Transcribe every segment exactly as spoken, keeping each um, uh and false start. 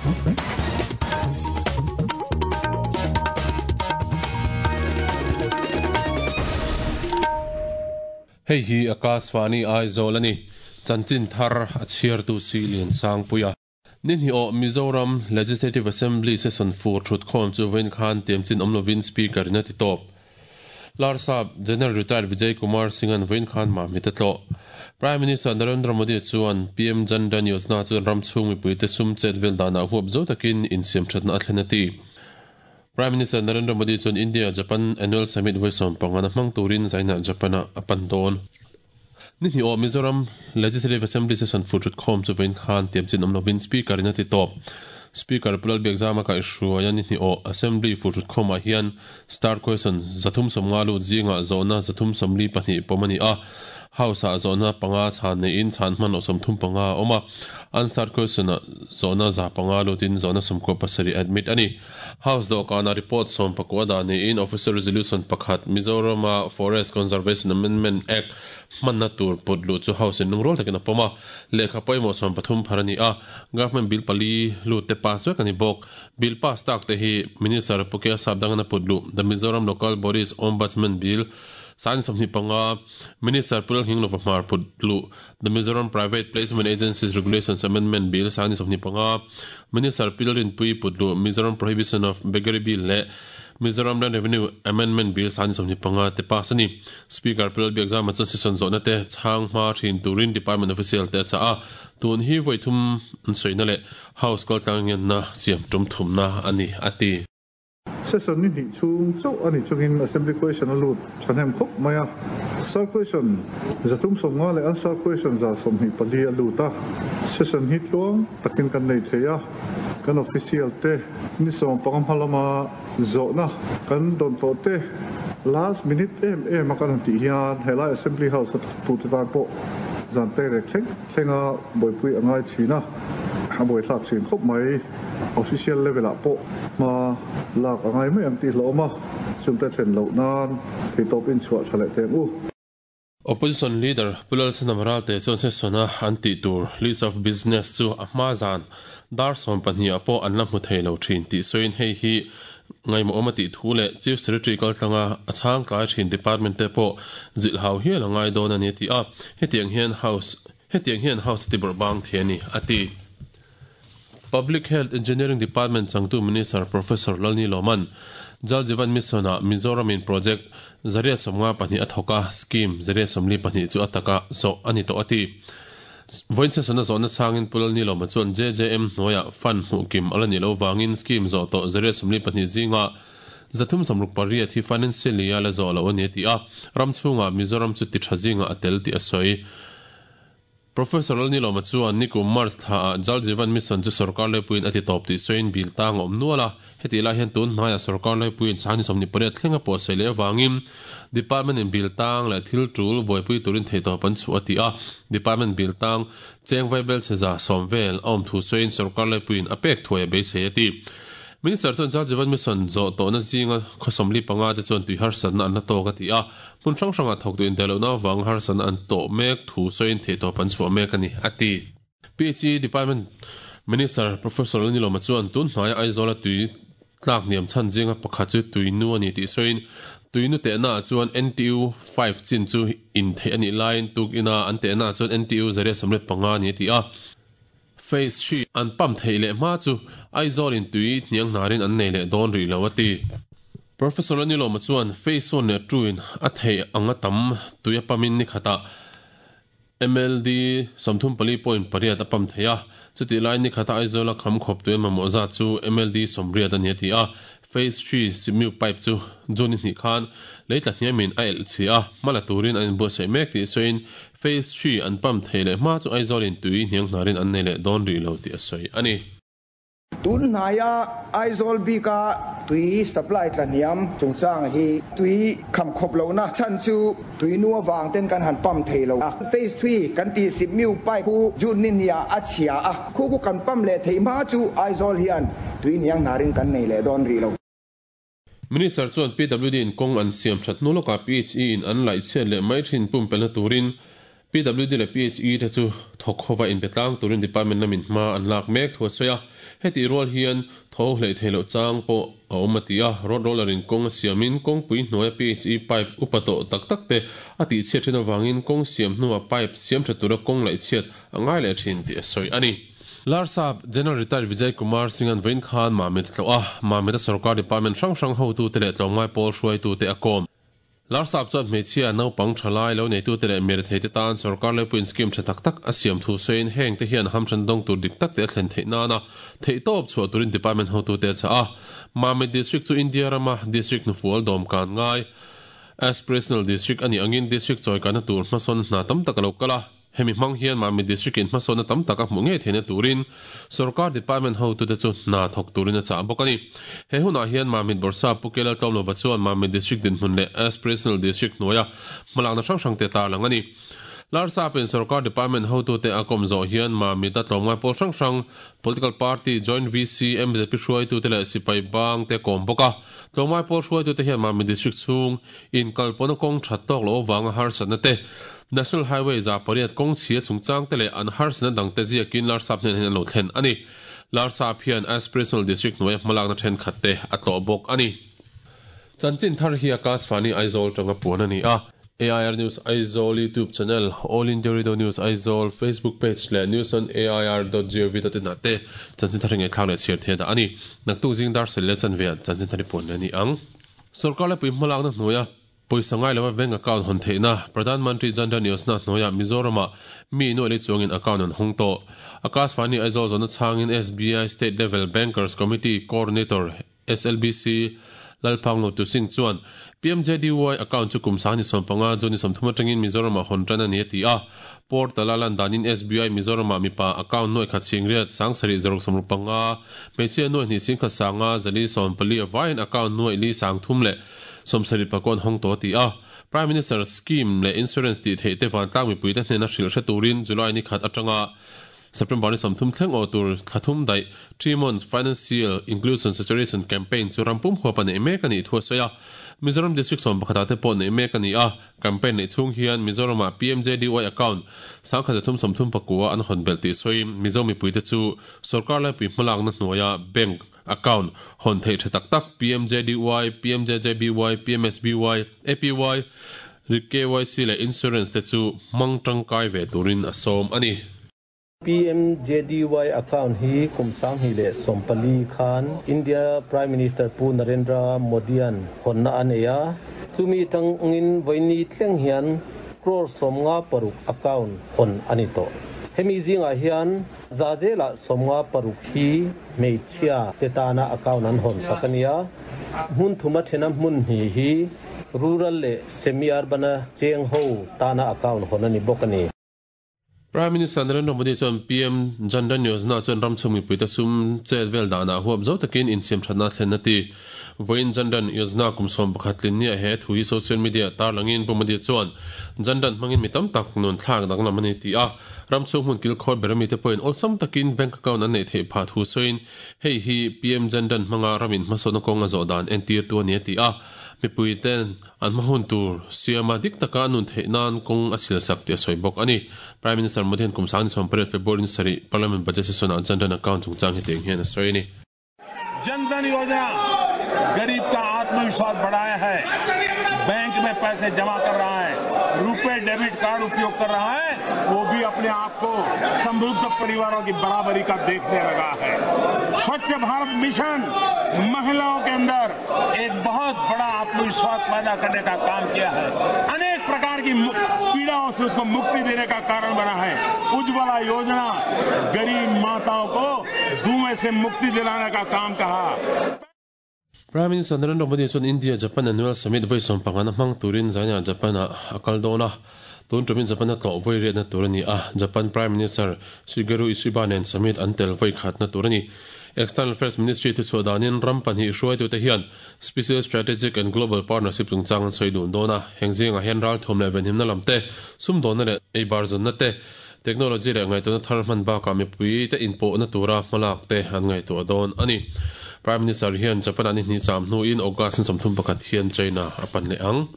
Okay. Hei hi Akashvani Aizawl ani chanchin thar a chhiar tu si lian sang puia Ninhi o Mizoram Legislative Assembly Session four thut khom chu vein khan tiamchin omlovin speaker na ti top Larsap General Retired Vijay Kumar Singh an vein khan ma mi tatlo Prime Minister Narendra Modi chuan P M Jan Dhan Yojana chuan ram chung mi puite sum chet vel dana huap zo takin insiam thatna a thlen ati Prime Minister Narendra Modi chuan India Japan Annual Summit voisom pangana hmang turin zaina Japana apan don Ninhi o Mizoram Legislative Assembly Session four thut khom chu vein khan tiamchin omlovin speaker ina ti top Speaker Pulal Biakzama ka ishuaya ninhi o Assembly four thut khoma hian star question zathum somnga lu zinga zona zathum somli pahnih pomani a House a zona panga chan nei in chan man osom thum panga oma unstarred question zona za panga lutin zona somko pasari admit ani House do kana report som pakwa da nei in officer resolution pakhat Mizoram Forest Conservation Amendment Act manna tur putlu chu House in nungrol takin apoma lekha poimo som pathum pharani a government bill pali lu te pass vek ani bok bill pass tak te hi minister Pukia Sabdangana putlu the Mizoram Local Bodies Ombudsman Bill San somni panga Minister Pulal Hinglova Hmar putlu the Mizoram Private Placement Agencies Regulations Amendment Bill San somni panga Minister Pilrin Pui putlu Mizoram Prohibition of Beggary Bill le Mizoram Land Revenue Amendment Bill San somni panga te pass ani Speaker Pulal Biakzama chuan session zawhna te chhang hma thin turin department official te cha a tun hi voithum an soina le House kal tlang na siam tum thumna ani ati Session ni ni chung chau ani chungin assembly question alu chanem khop maya star question zatum somnga le answer question za somhi pali alu ta session hi tluang takin kan nei theya kan official te ni som pangam halama zona kan don to te last minute em em kan ti hian helai assembly house tu te tan po zan te re thleng thlenga boipui angai china boi thlak chin khop mai official level a po ma lak angai mai ang ti hloma chumte then lo nan thi top in chhuah thale te u Opposition leader Pulal Sanamral te chuan session a anti tur list of business chu a hma zan dar som pahnih a pawh an la hmu thei lo thin tih sawiin hei hi ngaimawh awm a tih thu leh Chief Secretary kaltlanga a chhang tlai thin department te pawh zilh hau hial a ngai dawn ani ti a hetiang hian house hetiang hian house ti bawrh bang the ani a ti Public Health Engineering Department changtu Minister Professor Lalni Loman Jal Jeevan Mission a Mizoram in project zaria somnga pahnih a thoka scheme zaria somli pahnih chu ataka zo ani to ati voin session a zawhna chhangin Pulal Ni Loma chuan J J M hnuaia fund hmuh kim ala ni lo wangin scheme zawh tawh zaria somli pahnih zinga zathum samruk pariat hi financial year la zawh lo ani ti a ram chhunga Mizoram chu ti tha zinga a tel ti a sawi Professor Lalni Loma chuan nikum March tha a Jal Jeevan Mission chu sarkar lepuin ati top ti soin bil tang awm nuala heti lai hian tun hnaia sarkar lepuin sani somni pariat thlenga pawh sei leh awangin department in bil tang leh thil tul buaipui turin thei tawp an chu ati a department bil tang cheng vaibel cheza sawm vel a awm thu soin sarkar lepuin a pek thuai a beisei ati Minister chuan Jal Jeevan Mission zawh tawhna zinga khawsawmli panga te chuan tui harsatna an la tawk a ti a hmun hrang hranga thawk tu indaihlohna awang harsatna an tawh mek thu sawiin thei tawp an chhuah mek ani ati P H E Department Minister Professor Lalni Loma chuan tun hnaia Aizawl a tui tlak niam chhan zinga pakhat chu tui nu ani tih sawiin tui nu tehna chuan N T U five chin chu in thei ani laiin tuk ina an tehna chuan N T U zaria sawmriat panga ani ti a Phase three an pam thei leh hma chu Aizawl in tui hniang hnarin an nei leh dawn rih lo ati Professor Lalni Loma chuan phase one leh two in a thei anga tam tui a pamin ni khata M L D sawmthum pali point pariat a pam thei a chuti lai ni khata Aizawl a kham khawp tui mamawh zat chu M L D sawmriat ani ati a Phase three simu pipe chu June ni khan leitla hniamin a el chi a hmala turin an inbuatsaih mek tih sawiin Phase three an pam thei leh hma chu Aizawl in tui hniang hnarin an nei leh dawn rih lo tih a sawi ani Tun hnaia Aizawl bika tui supply tla hniam chungchang hi tui kham khawp lo na chan chu tui nu awang ten kan han pam thei lo a Phase three kan ti simu pipe khu June ni nia a chhia a khu khu kan pam leh thei hma chu Aizawl hian tui hniang hnarin kan nei leh dawn rih lo Minister chuan P W D in kawng an siam that hnu lawkah P H E in an laih chhiat leh mai thin pum pelna turin P W D leh P H E te chu thawk khawva inpe tlang turin department lamin hma an lak mek thu a sawi a Heti rual hian tho hlei theilo chang pawh a awm a ti a, road roller in kawng a siamin kawngpui hnuaia P H E pipe upa tawh tak tak te a tih chhiat thin avangin kawng siam hnuah pipe siam tha tura kawng laih chhiat a ngai leh thin tih a sawi a ni. Larsap General Retired Vijay Kumar Singh an vawiin khan Mamit a tlawh a, Mamit a sarkar department hrang hrang hotute leh tlawmngai pawl hruaitute a kawm. Larsap chuan hmeichhia naupang thalai lo neitute leh mirethei te tan sarkar leipuiin scheme tha tak tak a siam thu sawiin heng te hian hamthan dawng tur dik tak te a thlen theih nana theih tawp chhuah turin department hotute a chah a. Mamit District chu India rama district hnufual dawm kan ngai aspirational district a nih angin district chawikana tur hmasawn hna tam tak a lo kal a. Hemi hmang hian Mamit District in hmasawnna tam tak a hmuh ngei theihna turin sarkar department hotute chu hna thawk turin a chah bawk a ni. He hunah hian Mamit Bawrhsap Pu Kelal Tlawmlova chuan Mamit District dinhmun leh aspirational district hnuaia hmalakna hrang hrang te tarlang a ni. Larsapin sarkar department hotute a kawm zawh hian Mamit a tlawmngai pawl hrang hrang political party joint V C M Z P hruaitute leh sipai bang te kawm bawk a. Tlawmngai pawl hruaitute hian Mamit District chhung in kalpawna kawng that tawk lo awanga harsatna te National Highway za pariat kawng chhia chungchang te leh an harsatna dang te ziakin Larsap hnen hian an lo thlen a ni. Larsap hian aspirational district hnuaia hmalakna thenkhat te a tlawh bawk a ni. Chanchin thar hi Akashvani Aizawl tanga puan a ni a. A I R News Aizawl YouTube channel, All India Radio News Aizawl Facebook page leh news on A I R dot gov dot in ah te chanchin thar hi ngaihthlak leh chhiar thei dah a ni. Naktuk zing dar sel leh chanve ah chanchin thar hi puan leh a ni ang. Sarkar lepui hmalakna hnuaia pawisa ngai lova bank account hawn theihna Pradhan Mantri Jan Dhan Yojana hnuaia Mizoram-ah mi nuaih lei chuangin account an hawng tawh. Akashvani Aizawl zawhna chhangin S B I State Level Bankers Committee Coordinator S L B C Lalphang Lo Tu Singh chuan P M J D Y account chu kum sang ni sawm panga chu ni sawmthum atangin Mizoram-ah hawn tan a ni a ti a. Portal a lan danin S B I Mizoram-ah mipa account nuaih khat chhing riat sang sarih zaruk sawmruk panga hmeichhia nuaih hnih sing khat sanga zali sawm pali avaiin account nuaih li sang thum leh sawmsarih pakua an hawng tawh a ti a. Prime Minister scheme leh insurance tih theih te vantlang mipui te hnena hrilh hre turin July ni khat atanga September ni sawmthum thleng aw tur thlathum daih three months financial inclusion saturation campaign chu rampum huap a neih mek a nih thu a sawi a. Mizoram District sawm pakhatah te pawh neih mek a ni a. Campaign neih chhung hian Mizoramah P M J D Y account sangkhat zathum sawmthum pakua an hawn belh tih sawiin Mizo mipui te chu sarkar laipui hmalakna hnuaia bank account hawn theih tha tak tak P M J D Y, P M J J B Y, P M S B Y, A P Y, K Y C leh insurance te chu hmang tangkai ve turin a sawm a ni. P M J D Y account hi kum sang hi leh sawmpali khan India Prime Minister Pu Narendra Modi-an hawnna a nei a. Chumi tangin vawiini thleng hian crore sawmnga paruk account hawn a ni tawh. Hemi zingah hian zazela sawmnga paruk hi hmeichhia te tana account an hawn sak a ni a. Hmun thuma thena hmun hni hi rural leh semi-urban a cheng ho tana account hawn a ni bawk a ni. Prime Minister Narendra Modi chuan P M Jan Dhan Yojana chuan ramchhung mipui te sum chet vel danah huap zo takin insiam thatna thlen a ti. Vawiin Jan Dhan Yojana kum sawm pakhat tlin nia he thu hi social media tarlangin Pu Modi chuan Jan Dhan hmangin mi tam tak nun thlak danglam a ni ti a. Ramchhung hmun kil khawr berami te pawhin awlsam takin bank account an neih theih phah thu sawiin hei hi P M Jan Dhan hmanga ramin hmasawnna kawng a zawh dan entir tu a ni a ti a. Mipui ten an hmahun tur siama dik taka nun theih nan kawng a sil sak tih a sawi bawk a ni. Prime Minister Modi hian kum sang ni sawm pariat February ni sarih Parliament budget session ah Jan Dhan account chungchang hi tiang hian a sawi a ni. Jan Dhan Yojana गरीब का आत्मविश्वास बढ़ाया है, bank में पैसे जमा कर रहा है, रुपए डेबिट कार्ड उपयोग कर रहा है, वो भी अपने आप को समृद्ध परिवारों की बराबरी का देखने लगा है। स्वच्छ भारत मिशन महिलाओं के अंदर एक बहुत बड़ा आत्मविश्वास पैदा करने का काम किया है, अनेक प्रकार की पीड़ाओं से उसको मुक्ति देने का कारण बना है। उज्ज्वला योजना गरीब माताओं को धुएं से मुक्ति दिलाने का काम कहा। Prime Minister Narendra Modi chuan India Japan Annual Summit voi sawm pangana hmang turin zaina Japan a akal dawn a. Tun tumin Japan a tlawh voi riatna tur a ni a. Japan Prime Minister Shigeru Ishiba nen summit an tel voi khatna tur a ni. External Affairs Ministry ti chhuah danin ram pahnih hruaitu te hian Special Strategic and Global Partnership chungchang an sawi dun dawn a. Heng zingah hian ral thawm leh venhimna lam te, sum dawnna leh ei bar zawnna te, technology leh ngaihtuahna thar hman bakah mipui te inpawhna tura hmalak te an ngaihtuah dawn a ni. Prime Minister hian Japan ani hni cham hnuin August ni sawmthum pakhat hian China a pan leh ang.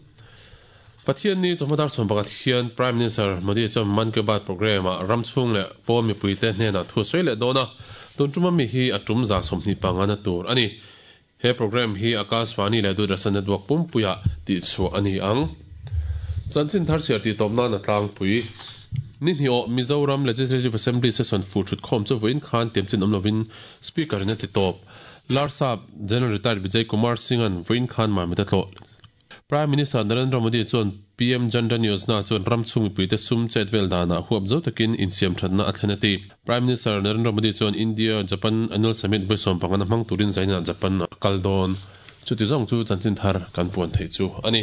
Pathian ni chawhma dar sawm pakhat hian Prime Minister Modi chuan Mann Ki Baat programme ah ram chhung leh pawn mipuite hnenah thu sawi leh dawn a, tun tuma mi hi a tum za sawmhnih pangana tur a ni. He programme hi Akashvani leh Doordarshan network pumpuiah tihchhuah a ni ang. Chanchin thar chhiar tih tawp nan a tlangpui. Ni hnih awh Mizoram Legislative Assembly session fu thut khawm chu vawiin khan tiamchin awm lovin Speaker in a ti tawp. Larsap General Retired Vijay Kumar Singh-a'n vawiin khan Mamit a tlawh. Prime Minister Narendra Modi chuan PM Jan Dhan Yojana chuan ram chhung mipuite sum chet vel danah huap zo takin insiamthatna a thlen a ti. Prime Minister Narendra Modi chuan India Japan Annual Summit vawi sawm pangana hmang turin zainah Japan a kal dawn. Chuti zawng chu chanchin thar kan puan theih chu a ni.